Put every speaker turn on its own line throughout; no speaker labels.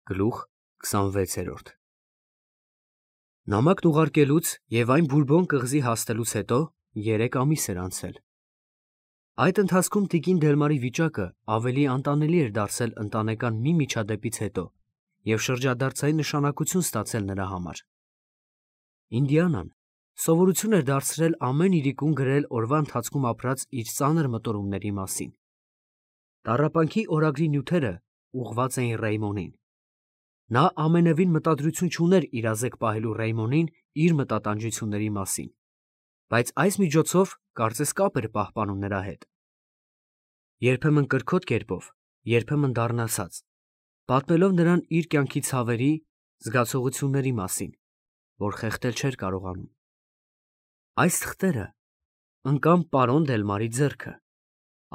Գլուխ 26 Նամակն ուղարկելուց և այն Բուրբոն կղզի հասնելուց հետո 3 ամիս էր անցել։ Այդ ընթացքում տիկին Դելմարի վիճակը ավելի անտանելի էր դարձել ընտանեկան մի միջադեպից հետո և շրջադարձային նշանակություն ստացել նրա համար։ Ինդիանան սովորություն էր դարձրել ամեն իրիկուն գրել օրվա ընթացքում ապրած իր ծանր մտորումների մասին։ Տառապանքի օրագրի նյութերը ուղղված էին Ռեյմոնին։ Նա ամենևին մտադրություն չուներ իրազեկ պահելու Ռեյմոնին իր մտատանջությունների մասին, բայց այս միջոցով կարծես կապ էր պահպանում նրա հետ։ Երբեմն կրքոտ կերպով, երբեմն դառնացած, պատմելով նրան իր կյանքի ցավերի, զգացողությունների մասին, որ խեղդել չէր կարողանում։ Այս թղթերը ընկան պարոն Դելմարի ձեռքը,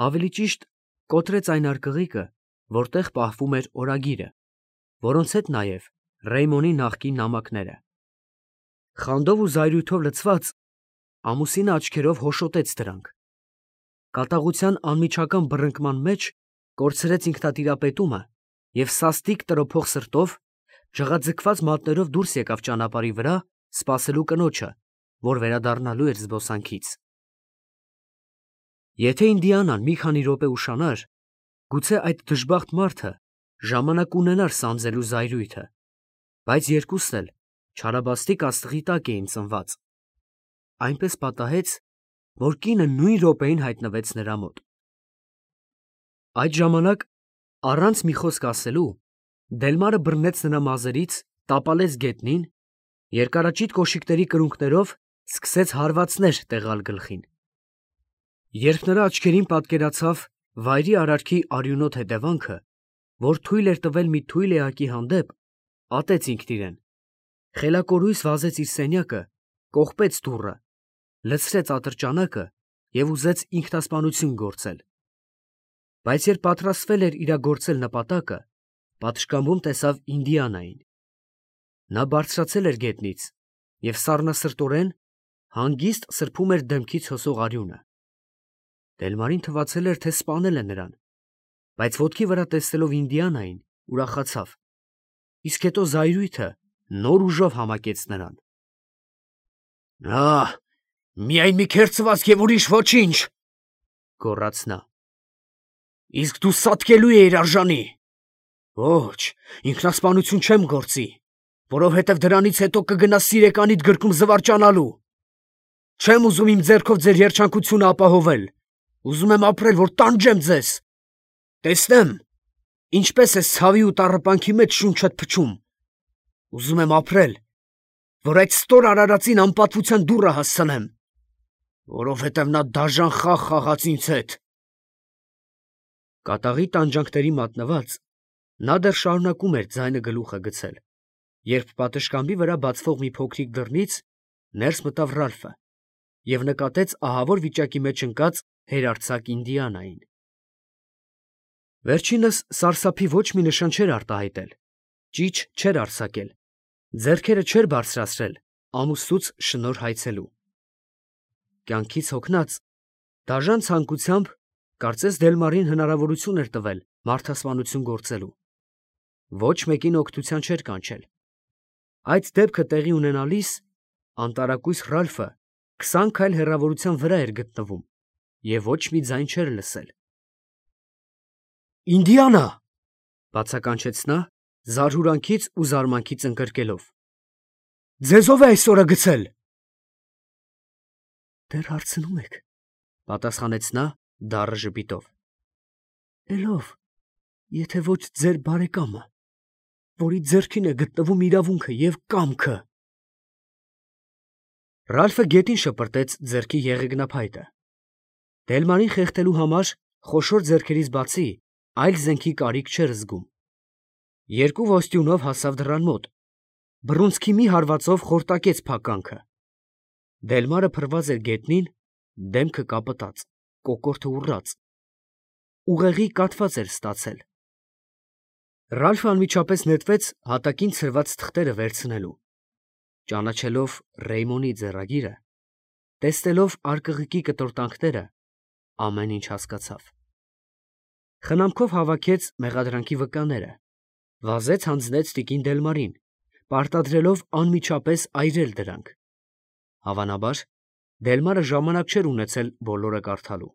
ավելի ճիշտ կոտրեց այն արկղիկը, որտեղ պահվում էր օրագիրը, որոնց հետ նաև Ռեյմոնի նախկին նամակները։ Խանդով ու զայրույթով լցված, ամուսինը աչքերով հոշոտեց դրանք։ Կատաղության անմիջական բռնկման մեջ կորցրեց ինքնատիրապետումը և սաստիկ տրոփող սրտով, ջղաձգված մատներով դուրս եկավ ճանապարհի վրա, սպասելու կնոջը, որ վերադառնալու էր զբոսանքից։ Եթե Ինդիանան մի քանի րոպե ուշանար, գուցե այդ դժբախտ մարդը ժամանակ ունենար սանձելու զայրույթը, բայց երկուսն էլ չարաբաստիկ աստղի տակ էին ծնված։ Այնպես պատահեց, որ կինը նույն րոպեին հայտնվեց նրա մոտ։ Այդ ժամանակ, առանց մի խոսք ասելու, Դելմարը բռնեց նրա մազերից, տապալեց գետնին, երկարաճիտ կոշիկների կրունկներով սկսեց հարվածներ տեղալ գլխին։ Երբ նրա աչքերին պատկերացավ վայրի արարքի արյունոտ հետևանքը, որ թույլ էր տվել մի թույլ էակի հանդեպ, ատեց ինքն իրեն, խելակորույս վազեց իր սենյակը, կողպեց դուռը, լցրեց ատրճանակը և ուզեց ինքնասպանություն գործել։ Բայց երբ պատրաստվել էր իրագործել նպատակը, պատշգամբում տեսավ Ինդիանային։ Նա բարձրացել էր գետնից և սառնասրտորեն հանգիստ սրբում էր դեմքից հոսող արյունը։ Դելմարին թվացել էր, թե սպանել է նրան, բայց ոտքի վրա տեսնելով Ինդիանային, ուրախացավ, իսկ հետո զայրույթը նոր ուժով համակեց նրան։ Միայն մի քերծվածք և ուրիշ ոչինչ, գոռաց նա։ Իսկ դու սատկելու էիր արժանի։ Ոչ, ինքնասպանություն չեմ գործի, որովհետև դրանից հետո կգնաս սիրեկանիդ գրկում զվարճանալու։ Չեմ ուզում իմ ձեռքով ձեր երջանկությունը ապահովել, ուզում եմ ապրել, որ տանջեմ ձեզ, տեսնեմ, ինչպես ես ցավի ու տառապանքի մեջ շունչդ փչում։ Ուզում եմ ապրել, որ այդ ստոր արարածին անպատվության դուռը հասցնեմ, որովհետև նա դաժան խաղ խաղաց ինձ հետ։ Կատաղի տանջանքների մատնված, նա դեռ շարունակում էր ձայնը գլուխը գցել, երբ պատշգամբի վրա բացվող մի փոքրիկ դռնից ներս մտավ Ռալֆը և նկատեց ահավոր վիճակի մեջ ընկած հերարձակ Ինդիանային։ Վերջինս սարսափի ոչ մի նշան չէր արտահայտել, ճիչ չէր արձակել, ձեռքերը չէր բարձրացրել ամուսնուց շնորհ հայցելու։ Կյանքից հոգնած, դաժան ցանկությամբ, կարծես Դելմարին հնարավորություն էր տվել մարդասպանություն գործելու։ Ոչ մեկին օգնության չէր կանչել։ Այդ դեպքը տեղի ունենալիս, անտարակույս Ռալֆը 20 քայլ հեռավորության վրա էր գտնվում և ոչ մի ձայն չէր լսել։ Ինդիանա, բացականչեց նա, զարհուրանքից ու զարմանքից ընկրկելով, ձեզ ով է այս օրը գցել։ Դեռ հարցնում եք, պատասխանեց նա դառը ժպիտով։ Էլ ով, եթե ոչ ձեր բարեկամը, որի ձեռքին է գտնվում իրավունքը և կամքը։ Ռալֆը գետին շպրտեց ձեռքի եղեգնափայտը։ Դելմարին խեղդելու համար խոշոր ձեռքերից բացի այլ զենքի կարիք չէր զգում։ Երկու ոստյունով հասավ դռան մոտ, բռունցքի մի հարվածով խորտակեց փականքը։ Դելմարը փռված էր գետնին, դեմքը կապտած, կոկորդը ուռած, ուղեղի կաթված էր ստացել։ Ռալֆը անմիջապես նետվեց հատակին ցրված թղթերը վերցնելու։ Ճանաչելով Ռեյմոնի ձեռագիրը, տեսնելով արկղիկի կտորտանքները, ամեն ինչ հասկացավ։ Խնամքով հավաքեց մեղադրանքի վկաները, Վազեց հանձնեց տիկին Դելմարին, պարտադրելով անմիջապես այրել դրանք։ Հավանաբար, Դելմարը ժամանակ չէր ունեցել բոլորը կարդալու։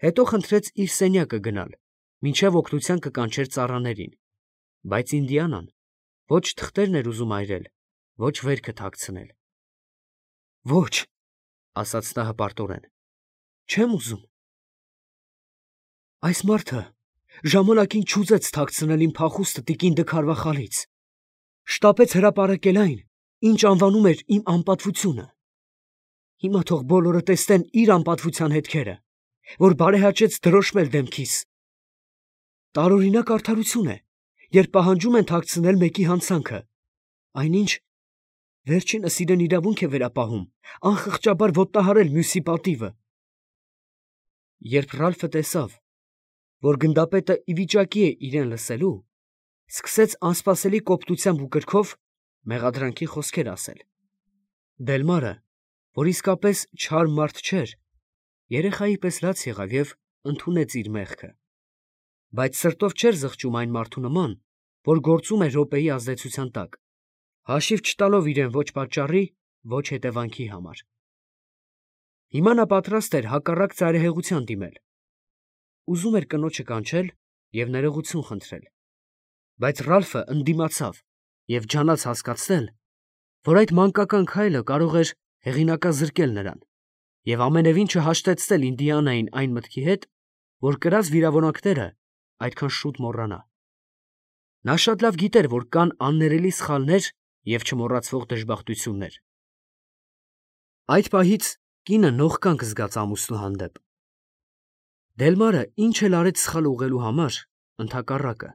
Հետո խնդրեց իր սենյակը գնալ, մինչև օգնության կկանչեր ծառաներին, բայց Ինդիանան ոչ թղթերն էր ուզում այրել, ոչ վերքը թաքցնել։ Ոչ, ասաց նա հպարտորեն, չեմ ուզում։ Այս մարդը ժամանակին չուզեց թաքցնել իմ փախուստը տիկին Դքարվախալից, շտապեց հրապարակել այն, ինչ անվանում էր իմ անպատվությունը։ Հիմա թող բոլորը տեսնեն իր անպատվության հետքերը, որ բարեհաճեց դրոշմել դեմքիս։ Տարօրինակ արդարություն է, երբ պահանջում են թաքցնել մեկի հանցանքը, այնինչ վերջինս իրեն իրավունք է վերապահում անխղճաբար ոտնահարել մյուսի պատիվը։ Երբ Ռալֆը տեսավ, որ գնդապետը ի վիճակի է իրեն լսելու, սկսեց անսպասելի կոպտությամբ ու կրքով մեղադրանքի խոսքեր ասել։ Դելմարը, որ իսկապես չար մարդ չէր, երեխայի պես լաց եղավ և ընդունեց իր մեղքը, բայց սրտով չէր զղջում այն մարդու նման, որ գործում է րոպեի ազդեցության տակ, հաշիվ չտալով իրեն ոչ պատճառի, ոչ հետևանքի համար։ Հիմա նա պատրաստ էր հակառակ ծայրահեղության դիմել։ Ուզում էր կնոջը կանչել և ներողություն խնդրել, բայց Ռալֆը ընդդիմացավ և ջանաց հասկացնել, որ այդ մանկական քայլը կարող էր հեղինակազրկել նրան և ամենևին չհաշտեցնել Ինդիանային այն մտքի հետ, որ կրած վիրավորանքները այդքան շուտ մոռանա։ Նա շատ լավ գիտեր, որ կան աններելի սխալներ և չմոռացվող դժբախտություններ։ Այդ պահից կինը նողկանք զգաց ամուսնու հանդեպ։ Դելմարը ինչ էլ արեց սխալ ուղղելու համար, ընդհակառակը,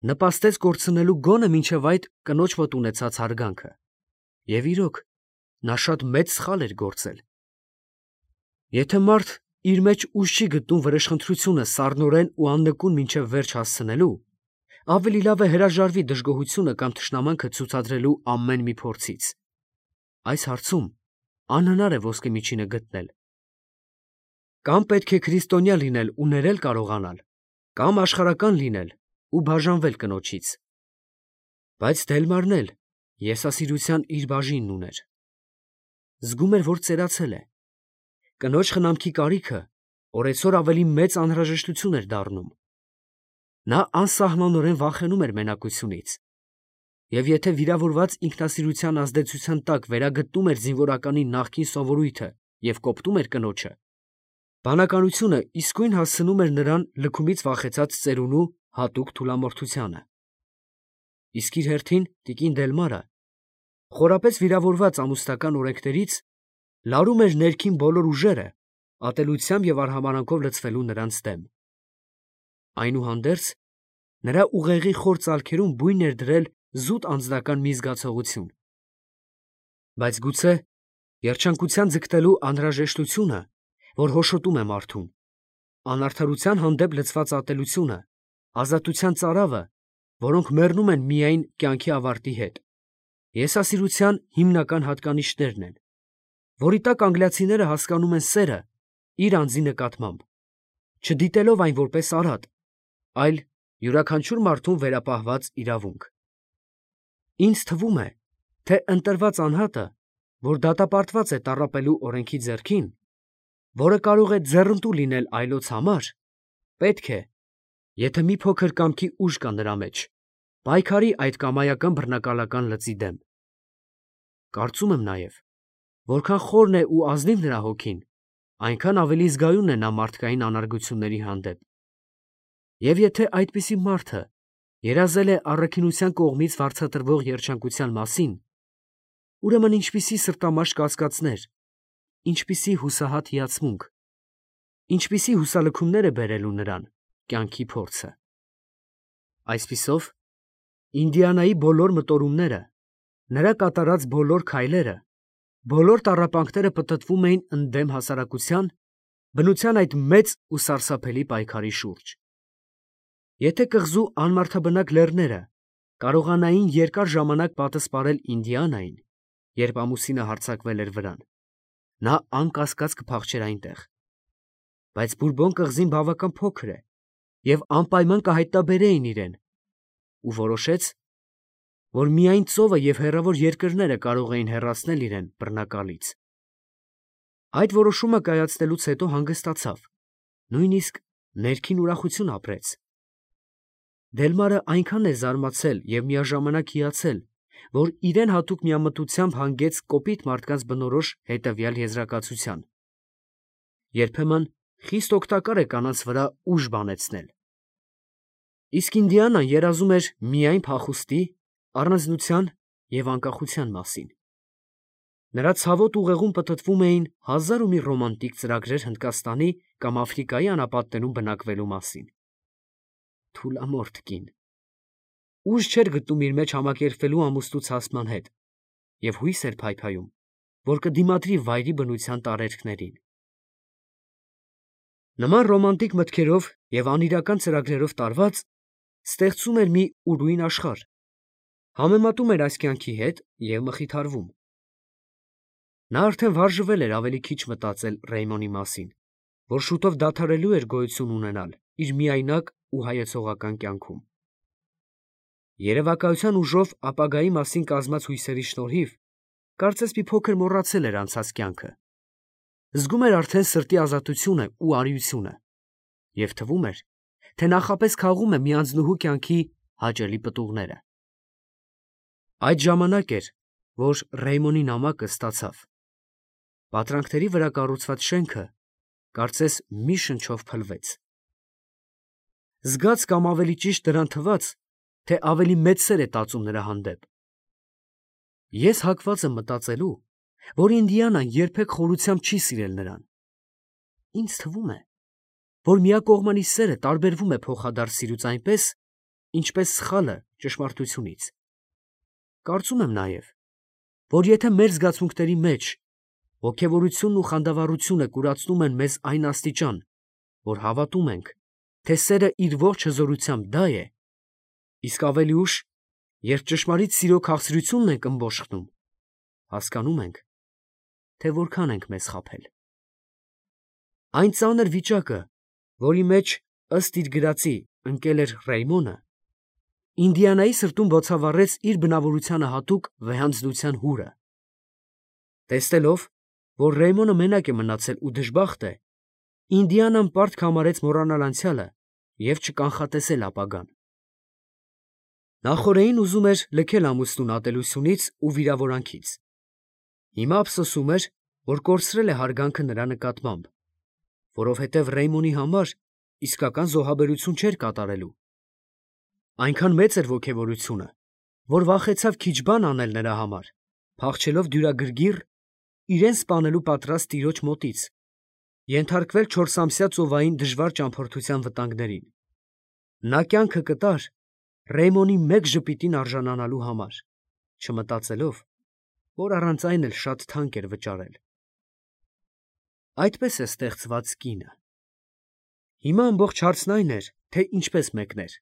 նպաստեց կորցնելու գոնը մինչև այդ կնոջ մոտ ունեցած հարգանքը։ Եվ իրոք, նա շատ մեծ սխալ էր գործել։ Եթե մարդ իր մեջ ուժ չի գտնում վրեժխնդրությունը սառնորեն ու աննկուն մինչև վերջ հասցնելու, ավելի լավ է հրաժարվի դժգոհությունը կամ թշնամանքը ցուցադրելու ամեն մի փորձից։ Այս հարցում անհնար է ոսկե միջինը գտնել։ Կամ պետք է քրիստոնյա լինել ու ներել կարողանալ, կամ աշխարհական լինել ու բաժանվել կնոջից։ Բայց Դելմարն էլ եսասիրության իր բաժինն ուներ։ Զգում էր, որ ծերացել է։ Կնոջ խնամքի կարիքը օրեցօր ավելի մեծ անհրաժեշտություն էր դառնում։ Նա անսահմանորեն վախենում էր մենակությունից։ Եվ եթե վիրավորված ինքնասիրության ազդեցության տակ վերագտնում էր զինվորականի նախկին սովորույթը և կոպտում էր կնոջը, բանականությունը իսկույն հասցնում էր նրան լքումից վախեցած ծերունու հատուկ թուլամորթությանը։ Իսկ իր հերթին տիկին Դելմարը, խորապես վիրավորված ամուսնական օրենքներից, լարում էր ներքին բոլոր ուժերը, ատելությամբ և արհամարհանքով լցվելու նրանց դեմ։ Այնուհանդերձ, նրա ուղեղի խոր ծալքերում բույն էր դրել զուտ անձնական մի զգացողություն։ Բայց գուցե երջանկության ձգտելու անհրաժեշտությունը, որ հոշոտում է մարդուն, անարդարության հանդեպ լցված ատելությունը, ազատության ծարավը, որոնք մեռնում են միայն կյանքի ավարտի հետ, եսասիրության հիմնական հատկանիշներն են, որի տակ անգլիացիները հասկանում են սերը իր անձի նկատմամբ, չդիտելով այն որպես արատ, այլ յուրաքանչյուր մարդուն վերապահված իրավունք։ Ինձ թվում է, թե ընտրված անհատը, որ դատապարտված է տառապելու օրենքի ձեռքին, որը կարող է ձեռնտու լինել այլոց համար, պետք է, եթե մի փոքր կամքի ուժ կա նրա մեջ, պայքարի այդ կամայական բռնակալական լծի դեմ։ Կարծում եմ նաև, որքան խորն է ու ազնիվ նրա հոգին, այնքան ավելի զգայուն է նա մարդկային անարգությունների հանդեպ։ Եվ եթե այդպիսի մարդը երազել է առաքինության կողմից վարձատրվող երջանկության մասին, ուրեմն ինչպիսի սրտամաշ կասկածներ, ինչպիսի հուսահատ հիացմունք, ինչպիսի հուսալքումներ է բերելու նրան կյանքի փորձը։ Այսպիսով, Ինդիանայի բոլոր մտորումները, նրա կատարած բոլոր քայլերը, բոլոր տառապանքները պտտվում էին ընդդեմ հասարակության, բնության այդ մեծ ու սարսափելի պայքարի շուրջ։ Եթե կղզու անմարդաբնակ լեռները կարողանային երկար ժամանակ պատսպարել Ինդիանային, երբ ամուսինը հարձակվել էր վրան, նա անկասկած կփախչեր այնտեղ։ Բայց Բուրբոն կղզին բավական փոքր է և անպայման կհայտնաբերեին իրեն, ու որոշեց, որ միայն ծովը և հեռավոր երկրները կարող էին հեռացնել իրեն բռնակալից։ Այդ որոշումը կայացնելուց հետո հանգստացավ, նույնիսկ ներքին ուրախություն ապրեց։ Դելմարը այնքան է զարմացել և միաժամանակ հիացել, որ իրեն հատուկ միամտությամբ հանգեց կոպիտ մարդկանց բնորոշ հետևյալ եզրակացության. երբեմն խիստ օգտակար է կանանց վրա ուժ բանեցնել։ Իսկ Ինդիանան երազում էր միայն փախուստի, առանձնության և անկախության մասին։ Նրա ցավոտ ուղեղում պտտվում էին հազար ու մի ռոմանտիկ ծրագրեր Հնդկաստանի կամ Աֆրիկայի անապատներում բնակվելու մասին։ Թուլամորթ կին։ Ուժ չէր գտնում իր մեջ համակերպվելու ամուսնու ցասման հետ և հույս էր փայփայում, որ կդիմադրի վայրի բնության տարերքներին։ Նման ռոմանտիկ մտքերով և անիրական ծրագրերով տարված, ստեղծում էր մի ուրույն աշխարհ, համեմատում էր այս կյանքի հետ և մխիթարվում։ Նա արդեն վարժվել էր ավելի քիչ մտածել Ռեյմոնի մասին, որ շուտով դադարելու էր գոյություն ունենալ իր միայնակ ու հայեցողական կյանքում։ Երևակայության ուժով ապագայի մասին կազմած հույսերի շնորհիվ, կարծես մի փոքր մոռացել էր անցած կյանքը, զգում էր արդեն սրտի ազատությունը ու արիությունը և թվում էր, թե նախապես քաղում է մի անձնուհու կյանքի հաճելի պտուղները։ Այդ ժամանակ էր, որ Ռեյմոնի նամակը ստացավ։ Պատրանքների վրա կառուցված շենքը, կարծես մի շնչով փլվեց։ Զգաց կամ ավելի ճիշտ դրան թվաց, թե ավելի մեծ սեր է տածում նրա հանդեպ։ Ես հակված եմ մտածելու, որ Ինդիանան երբեք խորությամբ չի սիրել նրան։ Ինձ թվում է, որ միակողմանի սերը տարբերվում է փոխադարձ սիրուց այնպես, ինչպես սխալը ճշմարտությունից։ Կարծում եմ նաև, որ եթե մեր զգացմունքների մեջ ոգևորությունն ու խանդավառությունը կուրացնում են մեզ այն աստիճան, որ հավատում ենք, թե սերը իր ողջ հզորությամբ դա է, իսկ ավելի ուշ, երբ ճշմարիտ սիրո քաղցրությունն ենք ըմբոշխնում, հասկանում ենք, թե որքան ենք մեզ խաբել։ Այն ծանր վիճակը, որի մեջ ըստ իր գրածի ընկել էր Ռեյմոնը, Ինդիանայի սրտում բոցավառեց իր բնավորությանը հատուկ վեհանձնության հուրը։ Տեսնելով, որ Ռեյմոնը մենակ է մնացել ու դժբախտ է, Ինդիանան պարտք համարեց մոռանալ անցյալը և չկանխատեսել ապագան։ Նախօրեին ուզում էր լքել ամուսնուն ատելությունից ու վիրավորանքից։ Հիմա ափսոսում էր, որ կորցրել է հարգանքը նրա նկատմամբ, որովհետև Ռեյմոնի համար իսկական զոհաբերություն չէր կատարելու։ Այնքան մեծ էր ոգևորությունը, որ վախեցավ քիչ բան անել նրա համար, փախչելով դյուրագրգիռ իրեն սպանելու պատրաստ տիրոջ մոտից, ենթարկվել 4-ամսյա ծովային դժվար ճամփորդության վտանգներին։ Նա կյանքը կտար Ռեյմոնի մեկ ժպիտին արժանանալու համար, չմտածելով, որ առանց այն էլ շատ թանկ էր վճարել։ Այդպես է ստեղծված կինը։ Հիմա ամբողջ հարցն այն էր, թե ինչպես մեկներ։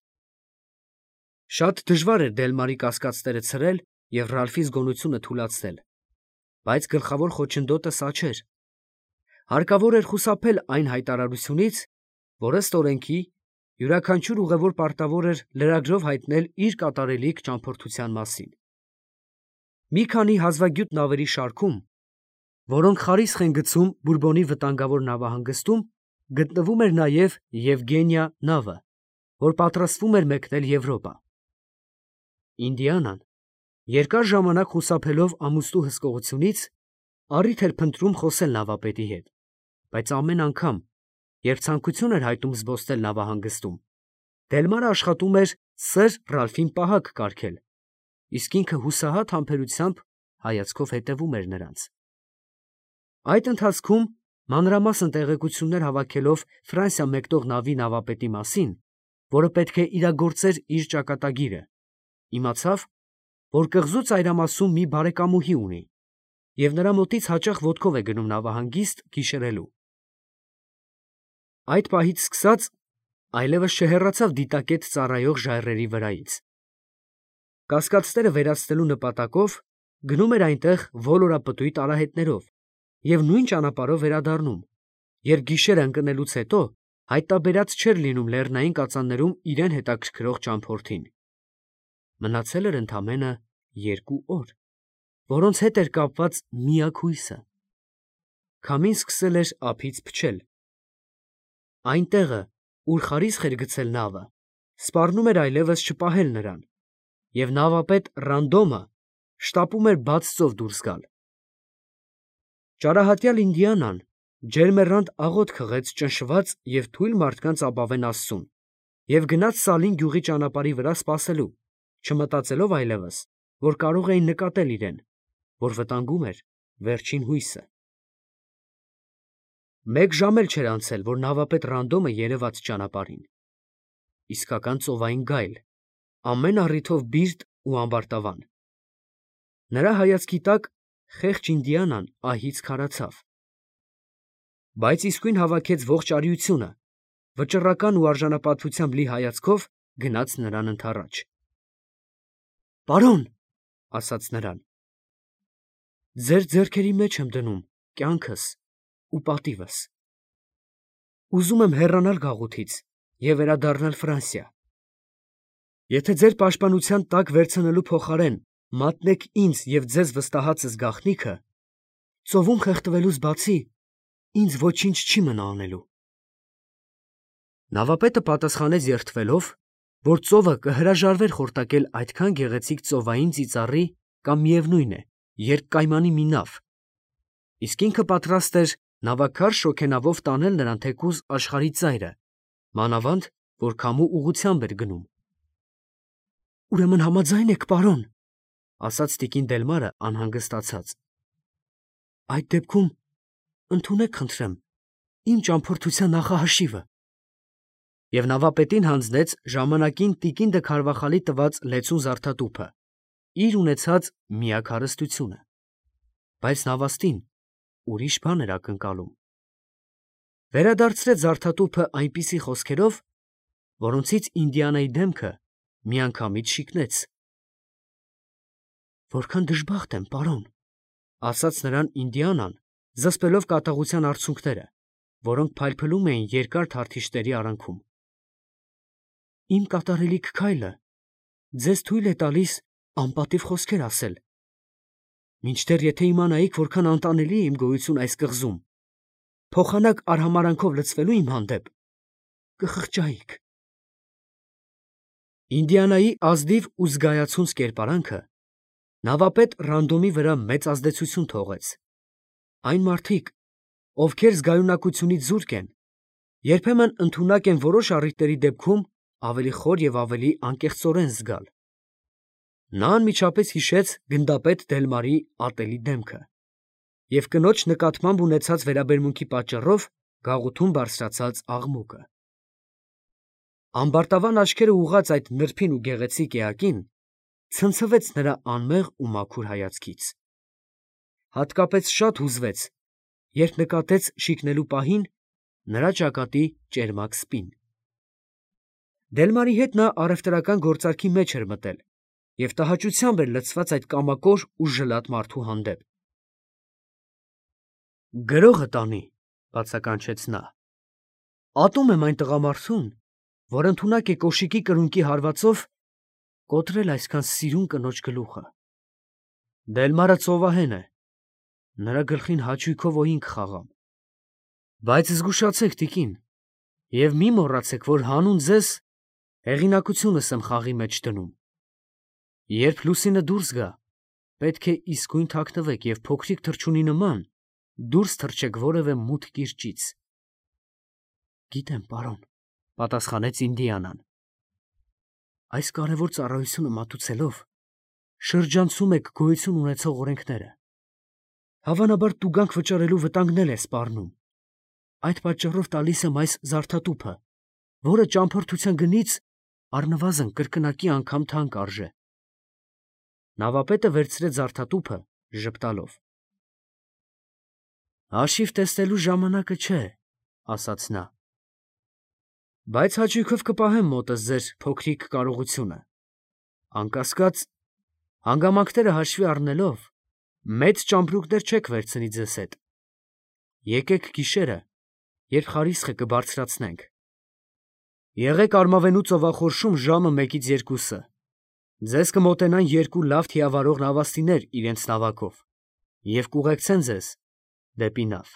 Շատ դժվար էր Դելմարի կասկածները ցրել և Ռալֆի զգոնությունը թուլացնել, բայց գլխավոր խոչընդոտը սա չէր։ Հարկավոր էր խուսափել այն հայտարարությունից, որ ըստ օրենքի յուրաքանչյուր ուղևոր պարտավոր էր լրագրով հայտնել իր կատարելիք ճամփորդության մասին։ Մի քանի հազվագյուտ նավերի շարքում, որոնք խարիսխ են գցում Բուրբոնի վտանգավոր նավահանգստում, գտնվում էր նաև Եվգենիա նավը, որ պատրաստվում էր մեկնել Եվրոպա։ Ինդիանան, երկար ժամանակ խուսափելով ամուսնու հսկողությունից, առիթ էր փնտրում խոսել նավապետի հետ, բայց ամեն անգամ, երբ ցանկություն էր հայտնում զբոսնել նավահանգստում, Դելմարը աշխատում էր սըր Ռալֆին պահակ կարգել, իսկ ինքը հուսահատ համբերությամբ հայացքով հետևում էր նրանց։ Այդ ընթացքում, մանրամասն տեղեկություններ հավաքելով Ֆրանսիա մեկնող նավի նավապետի մասին, որը պետք է իրագործեր իր ճակատագիրը, իմացավ, որ կղզու ծայրամասում մի բարեկամուհի ունի և նրա մոտից հաճախ ոտքով է գնում նավահանգիստ գիշերելու։ Այդ պահից սկսած այլևս չհեռացավ դիտակետ ծառայող ժայռերի վրայից։ Կասկածները վերացնելու նպատակով գնում էր այնտեղ ոլորապտույտ արահետներով և նույն ճանապարհով վերադառնում, երբ գիշերը ընկնելուց հետո հայտնաբերած չէր լինում լեռնային կածաններում իրեն հետաքրքրող ճամփորդին։ Մնացել էր ընդամենը 2 օր, որոնց հետ էր կապված միակ հույսը։ Քամին սկսել էր ափից փչել։ Այն տեղը, ուր խարիսխ էր գցել նավը, սպառնում էր այլևս չպահել նրան, և նավապետ Ռանդոմը շտապում էր բաց ծով դուրս գալ։ Ճարահատյալ Ինդիանան ջերմեռանդ աղոթք հղեց ճնշված և թույլ մարդկանց ապավեն Աստծուն և գնաց Սալին գյուղի ճանապարհի վրա սպասելու, չմտածելով այլևս, որ կարող էին նկատել իրեն, որ վտանգում էր վերջին հույսը։ 1 ժամ էլ չէր անցել, որ նավապետ Ռանդոմը երևաց ճանապարհին։ Իսկական ծովային գայլ, ամեն առիթով բիրտ ու ամբարտավան։ Նրա հայացքի տակ խեղճ Ինդիանան ահից քարացավ, բայց իսկույն հավաքեց ողջ արիությունը, վճռական ու արժանապատվությամբ լի հայացքով գնաց նրան ընդառաջ։ «Պարոն», ասաց նրան, «ձեր ձեռքերի մեջ եմ դնում կյանքս ու պատիվս։ Ուզում եմ հեռանալ գաղութից և վերադառնալ Ֆրանսիա։ Եթե ձեր պաշտպանության տակ վերցնելու փոխարեն մատնեք ինձ և ձեզ վստահածս գաղտնիքը, ծովում խեղդվելուց բացի ինձ ոչինչ չի մնա անելու»։ Նավապետը պատասխանեց երդվելով, որ ծովը կհրաժարվեր խորտակել այդքան գեղեցիկ ծովային ծիծառի կամ միևնույն է, երկկայմանի մի նավ, իսկ ինքը պատրաստ էր նավաքար շոգենավով տանել նրան թեկուզ աշխարհի ծայրը, մանավանդ որ քամու ուղղությամբ էր գնում։ «Ուրեմն համաձայն եք, պարոն», ասաց տիկին Դելմարը անհանգստացած։ «Այդ դեպքում ընդունեք, խնդրեմ, իմ ճամփորդության նախահաշիվը»։ Եվ նավապետին հանձնեց ժամանակին տիկին դը Քարվախալի տված լեցուն զարդատուփը, իր ունեցած միակ հարստությունը, բայց նավաստին ուրիշ բան էր ակնկալում։ Վերադարձրեց զարդատուփը այնպիսի խոսքերով, որոնցից Ինդիանայի դեմքը միանգամից շիկնեց։ «Որքան դժբախտ եմ, պարոն», ասաց նրան Ինդիանան, զսպելով կատաղության արցունքները, որոնք փայլփլում էին երկար թարթիժների արանքում։ «Իմ կատարելիք քայլը ձեզ թույլ է տալիս անպատիվ խոսքեր ասել, մինչդեռ եթե իմանայիք որքան անտանելի է իմ գոյությունը այս կղզում, փոխանակ արհամարհանքով լցվելու իմ հանդեպ, կխղճայիք»։ Ինդիանայի ազնիվ ու զգայացունց կերպարանքը նավապետ Ռանդոմի վրա մեծ ազդեցություն թողեց։ Այն մարդիկ, ովքեր զգայունակությունից զուրկ են, երբեմն ընդունակ են որոշ առիթների դեպքում ավելի խոր և ավելի անկեղծորեն զգալ։ Նա անմիջապես հիշեց գնդապետ Դելմարի ատելի դեմքը և կնոջ նկատմամբ ունեցած վերաբերմունքի պատճառով գաղութում բարձրացած աղմուկը։ Ամբարտավան աչքերը ուղղած այդ նրբին ու գեղեցիկ էակին ցնցվեց նրա անմեղ ու մաքուր հայացքից։ Հատկապես շատ հուզվեց, երբ նկատեց շիկնելու պահին նրա ճակատի ճերմակ սպին։ Դելմարի հետ նա առևտրական գործարքի մեջ էր մտել և տհաճությամբ էր լցված այդ կամակոր ու ժլատ մարդու հանդեպ։ «Գրողը տանի», բացականչեց նա, «ատում եմ այն տղամարդուն, որ ընդունակ է կոշիկի կրունկի հարվածով կոտրել այսքան սիրուն կնոջ գլուխը։ Դելմարը ծովահեն է, նրա գլխին հաճույքով օինք կխաղամ։ Բայց զգուշացեք, տիկին, և մի մոռացեք, որ հանուն ձեզ հեղինակությունս եմ խաղի մեջ դնում։ Երբ լուսինը դուրս գա, պետք է իսկույն թաքնվեք և փոքրիկ թռչունի նման դուրս թռչեք որևէ մութ կիրճից»։ «Գիտեմ, պարոն», պատասխանեց Ինդիանան։ «Այս կարևոր ծառայությունը մատուցելով շրջանցում եք գոյություն ունեցող օրենքները։ Հավանաբար տուգանք վճարելու վտանգն էլ է սպառնում։ Այդ պատճառով տալիս եմ այս զարդատուփը, որը ճամփորդության գնից առնվազն կրկնակի անգամ թանկ արժե»։ Նավապետը վերցրեց զարդատուփը ժպտալով։ «Հաշիվ տեսնելու ժամանակը չէ», ասաց նա, «բայց հաճույքով կպահեմ մոտս ձեր փոքրիկ կարողությունը։ Անկասկած, հանգամանքները հաշվի առնելով, մեծ ճամպրուկներ չեք վերցնի ձեզ հետ։ Եկեք գիշերը, երբ խարիսխը կբարձրացնենք։ Եղեք արմավենու ծովախորշում ժամը 1-ից 2-ը։ Ձեզ կմոտենան երկու լավ թիավարող նավաստիներ իրենց նավակով և կուղեկցեն ձեզ դեպի նավ։